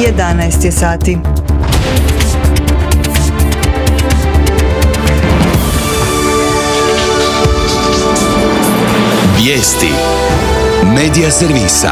11 je sati. Vijesti Medija servisa.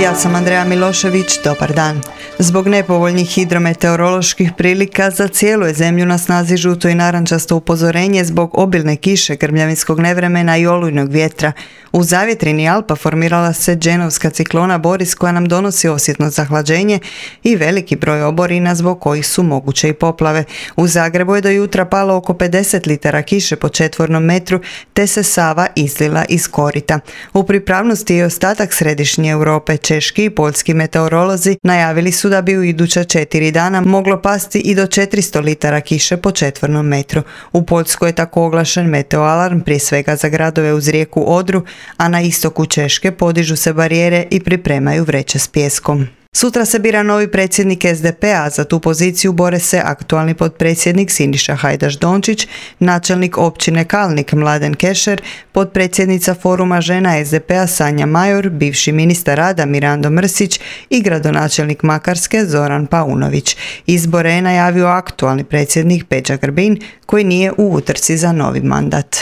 Ja sam Andreja Milošević, dobar dan. Zbog nepovoljnih hidrometeoroloških prilika za cijelu je zemlju na snazi žuto i narančasto upozorenje zbog obilne kiše, grmljavinskog nevremena i olujnog vjetra. U zavjetrini Alpa formirala se dženovska ciklona Boris koja nam donosi osjetno zahlađenje i veliki broj oborina zbog kojih su moguće i poplave. U Zagrebu je do jutra palo oko 50 litara kiše po četvornom metru te se Sava izlila iz korita. U pripravnosti je ostatak središnje Europe. Češki i poljski meteorolozi najavili su da bi u iduća 4 dana moglo pasti i do 400 litara kiše po četvornom metru. U Poljskoj je tako oglašen meteoalarm prije svega za gradove uz rijeku Odru, a na istoku Češke podižu se barijere i pripremaju vreće s pijeskom. Sutra se bira novi predsjednik SDP-a, za tu poziciju bore se aktualni potpredsjednik Siniša Hajdaš-Dončić, načelnik općine Kalnik Mladen Kešer, potpredsjednica foruma žena SDP-a Sanja Major, bivši ministar rada Mirando Mrsić i gradonačelnik Makarske Zoran Paunović. Izbore je najavio aktualni predsjednik Peđa Grbin koji nije u utrci za novi mandat.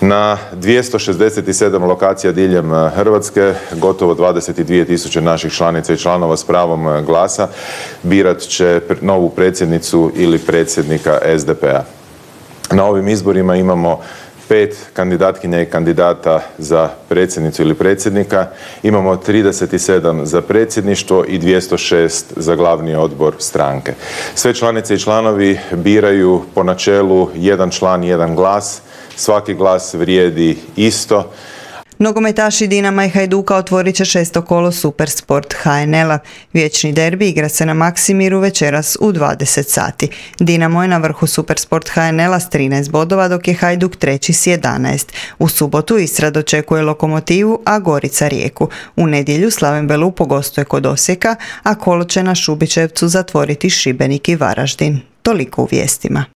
Na 267 lokacija diljem Hrvatske, gotovo 22.000 naših članica i članova s pravom glasa birat će novu predsjednicu ili predsjednika SDP-a. Na ovim izborima imamo 5 kandidatkinja i kandidata za predsjednicu ili predsjednika, imamo 37 za predsjedništvo i 206 za glavni odbor stranke. Sve članice i članovi biraju po načelu jedan član, jedan glas. Svaki glas vrijedi isto. Nogometaši Dinama i Hajduka otvorit će 6. kolo Supersport HNL-a. Vječni derbi igra se na Maksimiru večeras u 20 sati. Dinamo je na vrhu Supersport HNL-a s 13 bodova, dok je Hajduk treći s 11. U subotu Istra dočekuje Lokomotivu, a Gorica Rijeku. U nedjelju Slaven Belupo gostuje kod Osijeka, a kolo će na Šubićevcu zatvoriti Šibenik i Varaždin. Toliko u vijestima.